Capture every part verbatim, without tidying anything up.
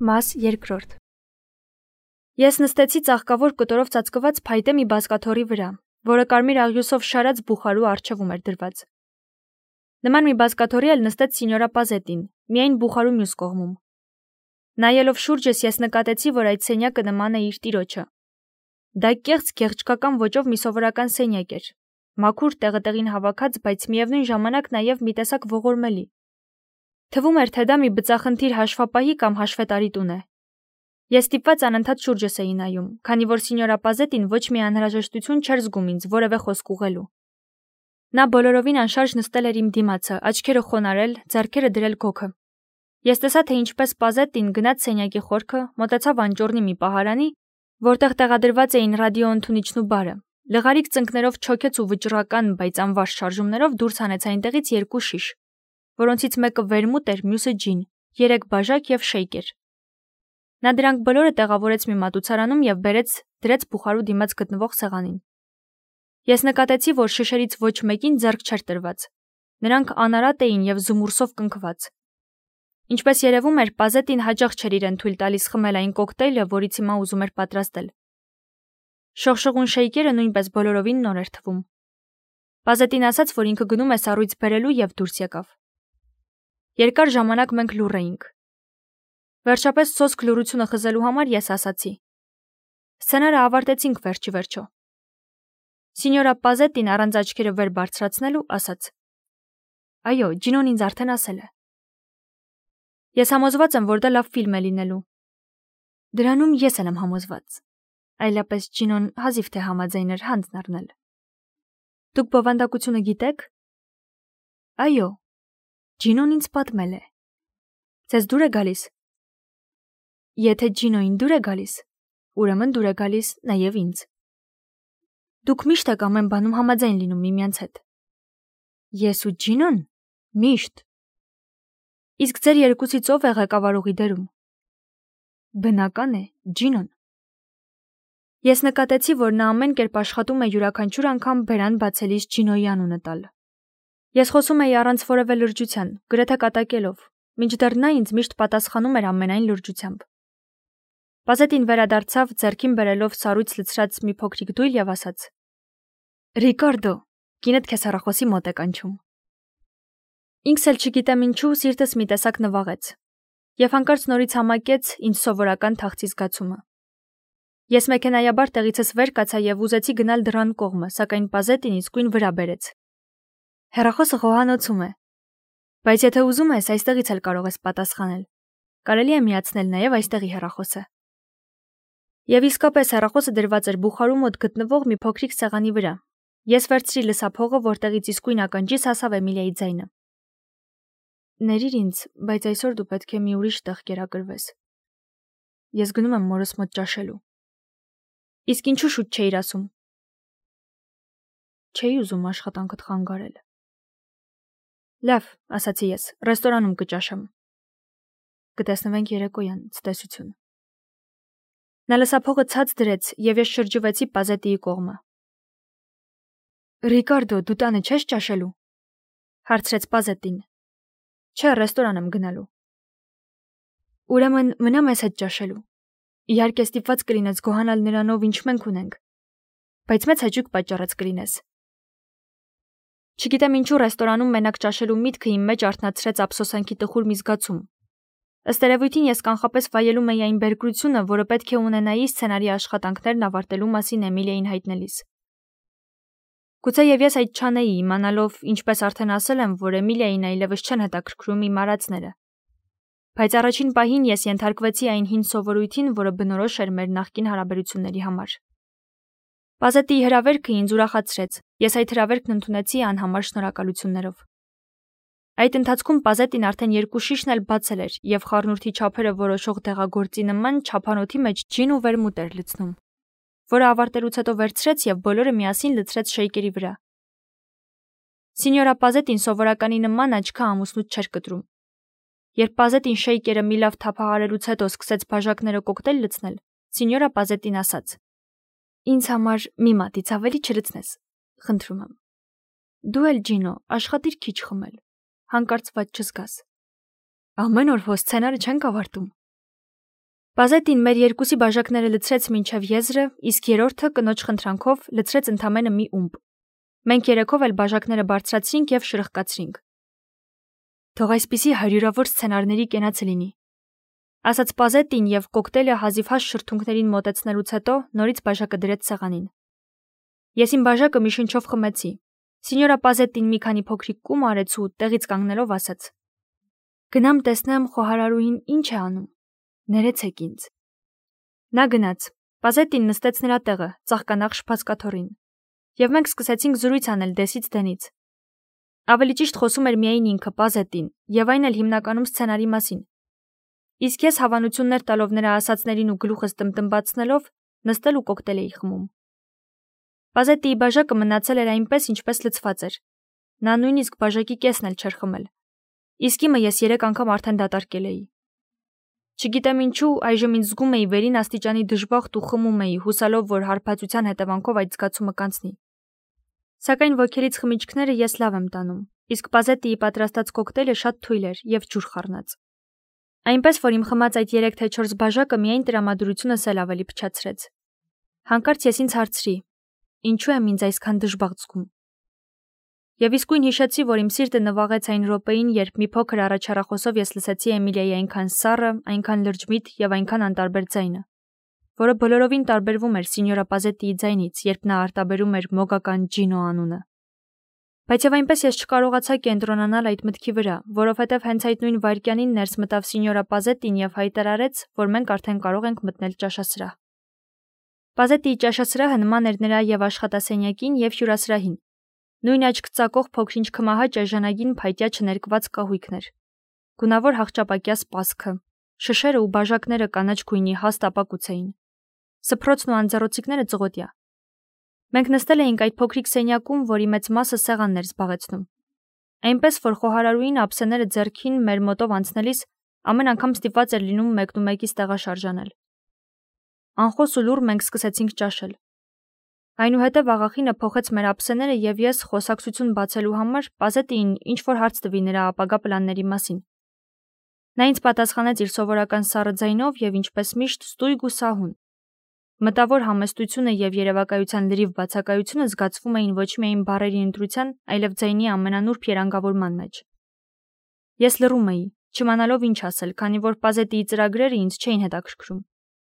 Մաս երկրորդ Ես նստեցի ծաղկավոր կտորով ծածկված փայտե մի բազկաթոռի վրա, որը կարմիր աղյուսով շարած բուխարու առջևում էր դրված։ Նման մի բազկաթոռի էլ նստեց սինյորա Պազետին, միայն բուխարու մյուս կողմում։ Նայելով շուրջս ես նկատեցի, որ այդ սենյակը նման է իր տիրոջը։ Դա կեղծ գեղեցկական ոճով մի սովորական սենյակ էր, մաքուր տեղը-տեղին հավաքած, բայց միևնույն ժամանակ նաև մի տեսակ ողորմելի։ Թվում էր, թե դա մի բծախնդիր հաշվապահի կամ հաշվետարի տուն է։ Ես ստիպված անընդհատ շուրջս էի նայում, քանի որ սինյորա Պազետին ոչ մի անհրաժեշտություն չէր զգում ինձ որևէ խոսք ուղղելու։ Նա բոլորովին անշարժ նստել էր իմ դիմացը, աչքերը խոնարհել, ձեռքերը դրել գոգը։ Ես տեսա, թե ինչպես Պազետին գնաց սենյակի խորքը, մոտեցավ անճոռնի մի պահարանի, որտեղ տեղադրված էին ռադիոընդունիչն ու բարը, լղարիկ ծնկներով չոքեց ու վճռական, բայց անվաշ շարժումներով դուրս հանեց այնտեղից երկու շիշ, որոնցից մեկը վերմուտ էր, մյուսը ջին, երեք բաժակ և շեյկեր։ Նա դրանք բոլորը տեղավորեց մի մատուցարանում և բերեց դրեց բուխարու դիմաց գտնվող սեղանին։ Ես նկատեցի, որ շշերից ոչ մեկին ձեռք չէր տրված։ Նրանք անարատ էին և զմուրսով կնքված։ Ինչպես երևում էր, Պազետին հաճախ չէր իրեն թույլ տալիս խմել այն կոկտեյլը, որից հիմա ուզում էր պատրաստել։ Շողշողուն շեյկերը նույնպես բոլորովին նոր էր թվում։ Պազետին ասաց, որ ինքը գնում է սառույց բերելու և դուրս եկավ։ Երկար ժամանակ մենք լուռ էինք։ Վերջապես սոսկ լռությունը խզելու համար ես ասացի. Սցենարը ավարտեցինք վերջի վերջո։ Սինյորա Պազետին առանց աչքերը վեր բարձրացնելու ասաց. Այո, Ջինոն ինձ արդեն ասել է։ Ես համոզված եմ, որ դա լավ ֆիլմ է լինելու։ Դրանում ես էլ եմ համոզված։ Այլապես Ջինոն հազիվ թե համաձայն էր հանձն առնել։ Դուք բովանդակությունը գիտեք։ Այո, Ջինոն ինձ պատմել է։ Ձեզ դուր է գալիս։ Եթե Ջինոին դուր է գալիս, ուրեմն դուր է գալիս նաև ինձ։ Դուք միշտ եք ամեն բանում համաձայն լինում միմյանց հետ։ Ես ու Ջինոն միշտ։ Իսկ ձեր երկուսից ով է ղեկավարողի դերում։ Բնական է, Ջինոն։ Ես նկատեցի, որ նա ամեն կերպ աշխատում է յուրաքանչյուր անգամ բերան բացելիս Ջինոյի անունը տալ։ Ես խոսում էի առանց որևէ լրջության, գրեթե կատակելով, մինչդեռ նա ինձ միշտ պատասխանում էր ամենայն լրջությամբ։ Պազետին վերադարձավ, ձեռքին բերելով սառույց լցրած մի փոքրիկ դույլ և ասաց. Ռիկարդո, կինդ քեզ հեռախոսի մոտ է կանչում։ Ինքս էլ չգիտեմ ինչու, սիրտս մի տեսակ նվաղեց, և հանկարծ նորից համակեց ինձ սովորական թախծի զգացումը։ Ես մեքենայաբար տեղիցս վեր կացա և ուզեցի գնալ դռան կողմը, սակայն Պազետին իսկույն վրա բերեց։ Հեռախոսը խոհանոցում է։ Բայց եթե ուզում ես, այստեղից էլ կարող ես պատասխանել։ Կարելի է միացնել նաև այստեղի հեռախոսը։ Եվ իսկապես հեռախոսը դրված էր բուխարու մոտ գտնվող մի փոքրիկ սեղանի վրա։ Ես վերցրի լսափողը, որտեղից իսկույն ականջիս հասավ Էմիլիայի ձայնը։ Ներիր ինձ, բայց այսօր դու պետք է մի ուրիշ տեղ կերակրվես։ Ես գնում եմ մորս մոտ ճաշելու։ Իսկ ինչու շուտ չէիր ասում։ Չէի ուզում աշխատանքդ խանգարել։ Լավ, ասացի ես, ռեստորանում կճաշեմ։ Կտեսնվենք երեկոյան, ցտեսություն։ Նա լսափողը ցած դրեց, և ես շրջվեցի Պազետիի կողմը։ Ռիկարդո, դու տանը չես ճաշելու։ Հարցրեց Պազետին։ Չէ, ռեստորան եմ գնալու։ Ուրեմն մնա մեզ հետ ճաշելու։ Իհարկե ստիպված կլինես գոհանալ նրանով, ինչ մենք ունենք, բայց մեծ հաճույք պատճառած կլինես։ Չգիտեմ ինչու ռեստորանում մենակ ճաշելու միտքը իմ մեջ արթնացրեց ափսոսանքի տխուր մի զգացում։ Ըստ երևույթին ես կանխապես վայելում էի այն բերկրությունը, որը պետք է ունենայի սցենարի աշխատանքներն ավարտելու մասին Էմիլիային հայտնելիս։ Գուցեև ես այդ չանեի, իմանալով, ինչպես արդեն ասել եմ, որ Էմիլիային այլևս չեն հետաքրքրում իմ արածները։ Բայց առաջին պահին ես ենթարկվեցի այն հին սովորույթին, որը բնորոշ էր մեր նախկին հարաբերությունների համար։ Պազետիի հրավերքը ինձ ուրախացրեց, ես այդ հրավերքն ընդունեցի անհամար շնորհակալություններով։ Այդ ընթացքում Պազետին արդեն երկու շիշն էլ բացել էր և խառնուրդի չափերը որոշող դեղագործի նման չափանոթի մեջ ջին ու վերմուտ էր լցնում, որը ավարտելուց հետո վերցրեց և բոլորը միասին լցրեց շեյկերի վրա։ Սինյորա Պազետին սովորականի նման աչքը ամուսնուց չէր կտրում։ Երբ Պազետին շեյկերը մի լավ թափահարելուց հետո սկսեց բաժակները կոկտեյլ լցնել, սինյորա Պազետին ասաց. Ինձ համար մի մատից ավելի չլցնես, խնդրում եմ։ Դու էլ Ջինո, աշխատիր քիչ խմել, հանկարծված չզգաս։ Ամեն օր հո սցենարը չենք ավարտում։ Պազետին մեր երկուսի բաժակները լցրեց մինչև եզրը, իսկ երրորդը կնոջ խնդրանքով լցրեց ընդամենը մի ումպ։ Մենք երեքով էլ բաժակները բարձրացրինք և շրխկացրինք։ Թող այսպիսի հարյուրավոր սցենարների կենացը լինի, ասաց Պազետին և կոկտեյլը հազիվհազ շրթունքներին մոտեցնելուց հետո նորից բաժակը դրեց սեղանին։ Ես իմ բաժակը մի շնչով խմեցի։ Սինյորա Պազետին մի քանի փոքրիկ կում արեց ու տեղից կանգնելով ասաց. «Գնամ տեսնեմ խոհարարուհին ինչ է անում, ներեցեք ինձ»։ Նա գնաց։ Պազետին նստեց նրա տեղը, ծաղկանաղ շփածկաթոռին, և մենք սկսեցինք զրույց անել դեսից դենից։ Ավելի ճիշտ խոսում էր միայն ինքը Պազետին, և այն էլ հիմնականում սցենարի մասին։ Իսկ ես հավանություններ տալով նրա ասածներին ու գլուխս տմտմբացնելով նստել ու կոկտեյլ էի խմում։ Պազետիի բաժակը մնացել էր այնպես, ինչպես լցված էր։ Նա նույնիսկ բաժակի կեսն էլ չէր խմել։ Իսկ իմը ես երեք անգամ արդեն դատարկել էի։ Չգիտեմ ինչու, այժմ ինձ զգում էի վերին աստիճանի դժբախտ ու խմում էի, հուսալով, որ հարբածության հետևանքով այդ զգացումը կանցնի։ Սակայն ոգելից խմիչքները ես լավ եմ տանում, իսկ Պազետիի պատրաստած կոկտեյլը շատ թույլ էր և ջուր խառնած։ Այնպես որ իմ խմած այդ երեք թե չորս բաժակը միայն տրամադրությունս էլ ավելի փչացրեց։ Հանկարծ ես ինձ հարցրի. ինչու եմ ինձ այսքան դժբախտ զգում։ Եվ իսկույն հիշեցի, որ իմ սիրտը նվաղեց այն րոպեին, երբ մի փոքր առաջարախոսով ես լսեցի Էմիլիայի այնքան սառը, այնքան լրջմիտ և այնքան անտարբեր ձայնը, որը բոլորովին տարբերվում էր սինյորա Պազետիի ձայնից, երբ նա արտաբերում էր մոգական Ջինո անունը։ Բայց և այնպես ես չկարողացա կենտրոնանալ այդ մտքի վրա, որովհետև հենց այդ նույն վայրկյանին ներս մտավ սինյորա Պազետին և հայտարարեց, որ մենք արդեն կարող ենք մտնել ճաշասրահ։ Պազետիի ճաշասրահը նման էր նրա և աշխատասենյակին, և հյուրասրահին։ Նույն աչք ծակող փոքրինչ քմահաճ էժանագին փայտյա չներկված կահույքն էր։ Գունավոր հախճապակյա սպասքը, շշերը ու բաժակները կանաչ գույնի հաստ ապակուց էին։ Սփռոցն ու անձեռոցիկները ծղոտյա։ Մենք նստել էինք այդ փոքրիկ սենյակում, որի մեծ մասը սեղանն էր զբաղեցնում։ Այնպես որ խոհարարուհին ափսեները ձեռքին մեր մոտով անցնելիս ամեն անգամ ստիպված էր լինում մեկնումեկից տեղաշարժանել։ Անխոս ու լուռ մենք սկսեցինք ճաշել։ Այնուհետև աղախինը փոխեց մեր ափսեները և ես, խոսակցություն բացելու համար, Պազետիին ինչ-որ հարց տվի նրա ապագա պլանների մասին։ Նա ինձ պատասխանեց իր սովորական սառը ձայնով և ինչպես միշտ ստույգ ու սահուն։ Մտավոր համեստությունը և երևակայության լրիվ բացակայությունը զգացվում էին ոչ միայն բառերի ընտրության, այլև ձայնի ամենանուրբ երանգավորման մեջ։ Ես լռում էի, չիմանալով ինչ ասել, քանի որ Պազետիի ծրագրերը ինձ չէին հետաքրքրում։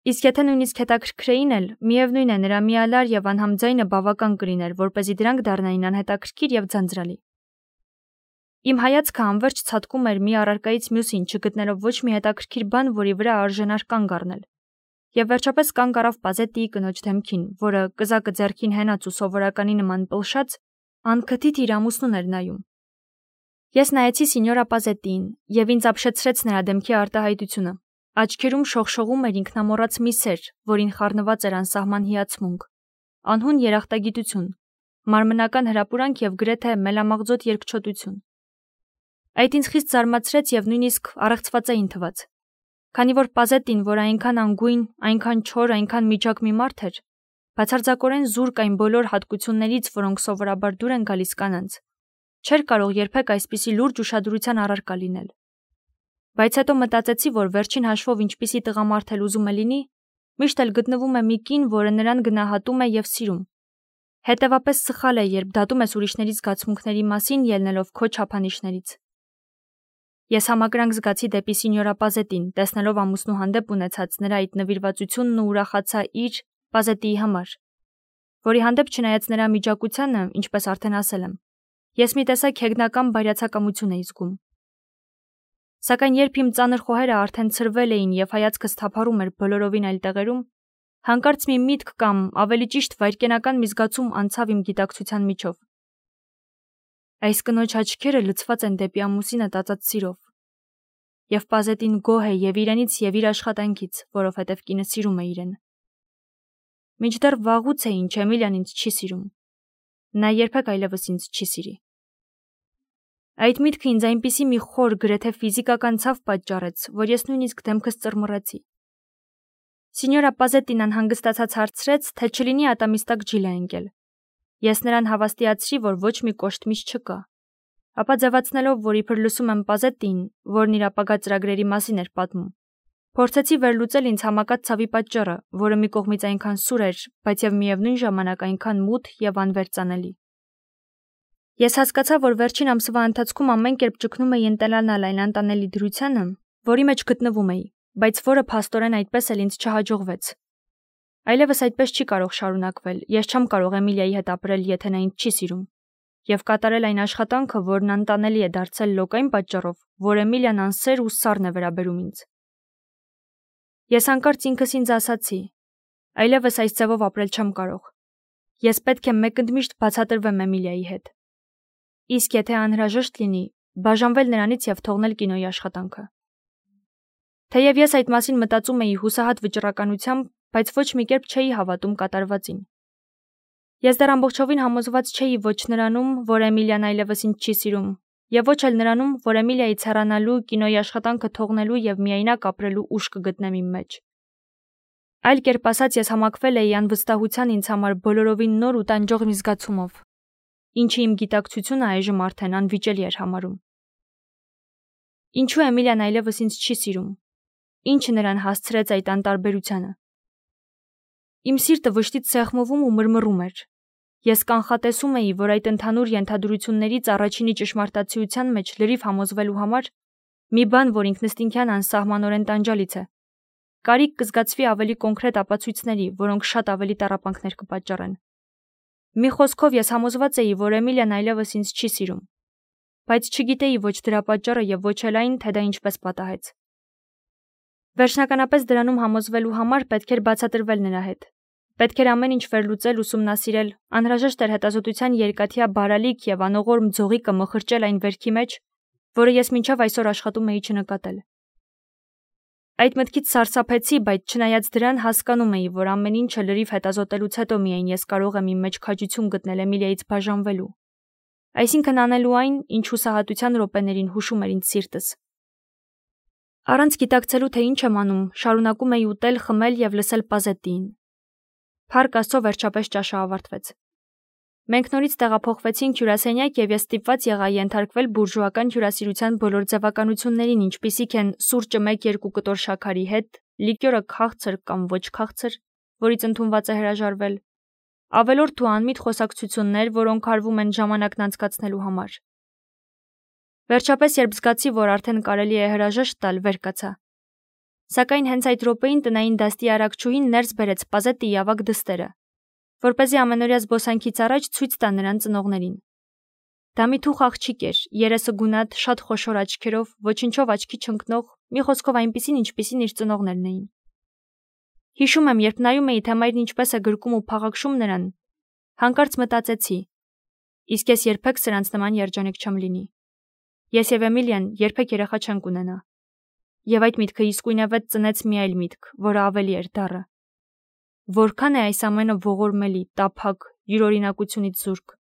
Իսկ եթե նույնիսկ հետաքրքրեին էլ, միևնույն է, նրա միալար և անհամ ձայնը բավական կլիներ, որպեսզի դրանք դառնային անհետաքրքիր և ձանձրալի։ Իմ հայացքը անվերջ ցատկում էր մի առարկայից մյուսին, չգտնելով ոչ մի հետաքրքիր բան, որի վրա արժանար կանգ առնել։ Եվ վերջապես կանգ առավ Պազետիի կնոջ դեմքին, որը կզակը ձեռքին հենած ու սովորականի նման պլշած, անքթիթ իր ամուսնուն էր նայում։ Ես նայեցի սինյորա Պազետիին, և ինձ ապշեցրեց նրա դեմքի արտահայտությունը։ Աչքերում շողշողում էր ինքնամոռաց մի սեր, որին խառնված էր անսահման հիացմունք, անհուն երախտագիտություն, մարմնական հրապուրանք և գրեթե մելամաղձոտ երկչոտություն։ Այդ ինձ խիստ զարմացրեց և նույնիսկ առեղծվածային թվաց։ Քանի որ Պազետին, որ այնքան անգույն, այնքան չոր, այնքան միջակ մի մարդ էր, բացարձակորեն զուրկ այն բոլոր հատկություններից, որոնք սովորաբար դուր են գալիս կանանց, չէր կարող երբեք այսպիսի լուրջ ուշադրության առարկա լինել։ Բայց հետո մտածեցի, որ վերջին հաշվով ինչպիսի տղամարդ էլ ուզում է լինի, միշտ էլ գտնվում է մի կին, որը նրան գնահատում է և սիրում։ Հետևապես սխալ է, երբ դատում ես ուրիշների զգացմունքների մասին, ելնելով քո չափանիշներից։ Ես համակրանք զգացի դեպի սինյորա Պազետին, տեսնելով ամուսնու հանդեպ ունեցած նրա այդ նվիրվածությունն ու ուրախացա իր Պազետիի համար, որի հանդեպ չնայած նրա միջակությանը, ինչպես արդեն ասել եմ, ես մի տեսակ հեգնական բայրացակամություն էի զգում։ Սակայն երբ իմ ծանր խոհերը արդեն ցրվել էին և հայացքս թափառում էր բոլորովին այլ տեղերում, հանկարծ մի միտք կամ, ավելի ճիշտ, վայրկենական մի զգացում անցավ իմ գիտակցության միջով։ Այս կնոջ աչքերը լցված են դեպի ամուսինը տածած սիրով։ Եվ Պազետին գոհ է և իրենից և իր աշխատանքից, որովհետև կինը սիրում է իրեն։ Մինչդեռ վաղուց է ինչ Էմիլիան ինձ չի սիրում։ Նա երբեք այլևս ինձ չի սիրի։ Այդ միտքը ինձ այնպիսի մի խոր, գրեթե ֆիզիկական ցավ պատճառեց, որ ես նույնիսկ դեմքս ծռմռեցի։ Սինյորա Պազետին անհանգստացած հարցրեց, թե չլինի ատամիս տակ ջիլ է ընկել։ Ես նրան հավաստիացրի, որ ոչ մի կոշտ միս չկա, ապա ձևացնելով, որ իբր լսում եմ Պազետիին, որն իր ապագա ծրագրերի մասին էր պատմում, Փորձեցի վերլուծել ինձ համակած ցավի պատճառը, որը մի կողմից այնքան սուր էր, բայց եւ միևնույն ժամանակ այնքան մութ եւ անվերծանելի։ Ես հասկացա, որ վերջին ամսվա ընթացքում ամեն կերպ ճգնում էի ընտելանալ այն անտանելի դրությանը, որի մեջ գտնվում էի, բայց որը փաստորեն այդպես էլ ինձ չհաջողվեց։ Այլևս այդպես չի կարող շարունակվել, ես չեմ կարող Էմիլիայի հետ ապրել, եթե նա ինձ չի սիրում, եւ կատարել այն աշխատանքը, որն անտանելի է դարձել լոկ այն պատճառով, որ Էմիլիան անսեր ու սառն է վերաբերում ինձ։ Ես հանկարծ ինքս ինձ ասացի. այլևս այս ձևով ապրել չեմ կարող։ Ես պետք է մեկընդմիշտ բացատրվեմ Էմիլիայի հետ։ Իսկ եթե անհրաժեշտ լինի, բաժանվել նրանից եւ թողնել կինոյի աշխատանքը։ Թեև ես այդ մասին մտածում էի հուսահատ վճռականությամբ, բայց ոչ մի կերպ չէի հավատում կատարվածին։ Ես դեռ ամբողջովին համոզված չէի ոչ նրանում, որ Էմիլիան այլևս ինձ չի սիրում, եւ ոչ էլ նրանում, որ Էմիլիայից հեռանալու, կինոյի աշխատանքը թողնելու եւ միայնակ ապրելու ուժ կգտնեմ իմ մեջ։ Այլ կերպ ասած, ես համակվել էի անվստահության ինձ համար բոլորովին նոր ու տանջող մի զգացումով, ինչը իմ գիտակցությունը այժմ արդեն անվիճելի էր համարում։ Ինչու Էմիլիան այլևս ինձ չի սիրում։ Ինչը նրան հասցրեց այդ անտարբերությանը։ Իմ սիրտը վշտից սեղմվում ու մռմռում էր։ Ես կանխատեսում էի, որ այդ ընդհանուր ենթադրություններից առաջինի ճշմարտացիության մեջ լրիվ համոզվելու համար մի բան, որ ինքնըստինքյան անսահմանորեն տանջալից է, կարիք կզգացվի ավելի կոնկրետ ապացույցների, որոնք շատ ավելի տառապանքներ կպատճառեն։ Մի խոսքով ես համոզված էի, որ Էմիլիան այլևս ինձ չի սիրում, բայց չգիտեի ոչ դրա պատճառը եւ ոչ էլ այն, թե դա ինչպես պատահեց։ Վերջնականապես դրանում համոզվելու համար պետք էր բացատրվել նրա հետ։ Պետք էր ամեն ինչ վերլուծել, ուսումնասիրել, անհրաժեշտ էր հետազոտության երկաթյա բարալիկ եւ անողորմ ձողիկը մխրճել այն վերքի մեջ, որը ես մինչև այսօր աշխատում էի չնկատել։ Այդ մտքից սարսափեցի, բայց չնայած դրան հասկանում էի, որ ամեն ինչը լրիվ հետազոտելուց հետո միայն ես կարող եմ իմ մեջ քաջություն գտնել Էմիլիայից բաժանվելու։ Այսինքն անելու այն, ինչ հուսահատության րոպեներին հուշում էր ինձ սիրտս։ Առանց գիտակցելու, թե ինչ եմ անում, շարունակում էի ուտել, խմել եւ լսել Պազետիին։ Փառք Աստծո, վերջապես ճաշը ավարտվեց։ Մենք նորից տեղափոխվեցինք հյուրասենյակ եւ ես ստիպված եղա ենթարկվել բուրժուական հյուրասիրության բոլոր ձևականություններին, ինչպիսիք են սուրճը մեկ-երկու կտոր շաքարի հետ, լիկյորը քաղցր կամ ոչ քաղցր, որից ընդունված է հրաժարվել, ավելորդ ու անմիտ խոսակցություններ, որոնք արվում են ժամանակն անցկացնելու համար։ Վերջապես, երբ զգացի, որ արդեն կարելի է հրաժեշտ տալ, վեր կացա։ Սակայն հենց այդ րոպեին տնային դաստի արագչուհին ներս բերեց Պազետիի ավագ դստերը, որպեսզի ամենօրյա զբոսանքից առաջ ցույց տա նրան ծնողներին։ Դա մի թուխ աղջիկ էր, երեսը գունատ, շատ խոշոր աչքերով, ոչնչով աչքի չընկնող, մի խոսքով այնպիսին, ինչպիսին իր ծնողներն էին։ Հիշում եմ, երբ նայում էի, թե մայրն ինչպես է գրկում ու փաղաքշում նրան, հանկարծ մտածեցի. իսկ ես երբեք սրանց նման երջանիկ չեմ լինի։ Ես եւ Էմիլիան երբեք երեխա չենք ունենա։ Եվ այդ միտքը իսկույնավետ ծնեց մի այլ միտք, որը ավելի էր դառը։ Որքան է այս ամենը ողորմելի, տափակ, յուրօրինակությունից զուրկ։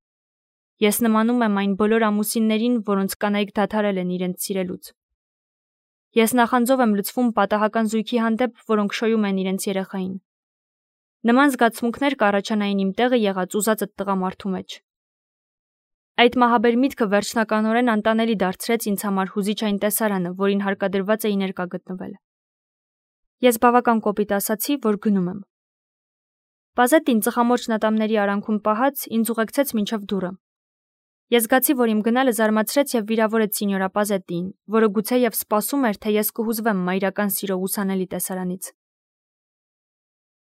Ես նմանում եմ այն բոլոր ամուսիններին, որոնց կանայք դադարել են իրենց սիրելուց։ Ես նախանձով եմ լցվում պատահական զույգի հանդեպ, որոնք շոյում են իրենց երեխային։ Նման զգացմունքներ կառաջանային իմ տեղը եղած ուզածդ տղամարդու մեջ։ Այդ մահաբեր միտքը վերջնականորեն անտանելի դարձրեց ինձ համար հուզիչ այն տեսարանը, որին հարկադրված էի ներկա գտնվել։ Ես բավական կոպիտ ասացի, որ գնում եմ։ Պազետին ծխամորճ նատամների արանքում պահած ինձ ուղեկցեց մինչև դուռը։ Ես զգացի, որ իմ գնալը զարմացրեց եւ վիրավորեց սինյորա Պազետիին, որը գուցեև սպասում էր, թե ես կհուզվեմ մայրական սիրո ուսանելի տեսարանից։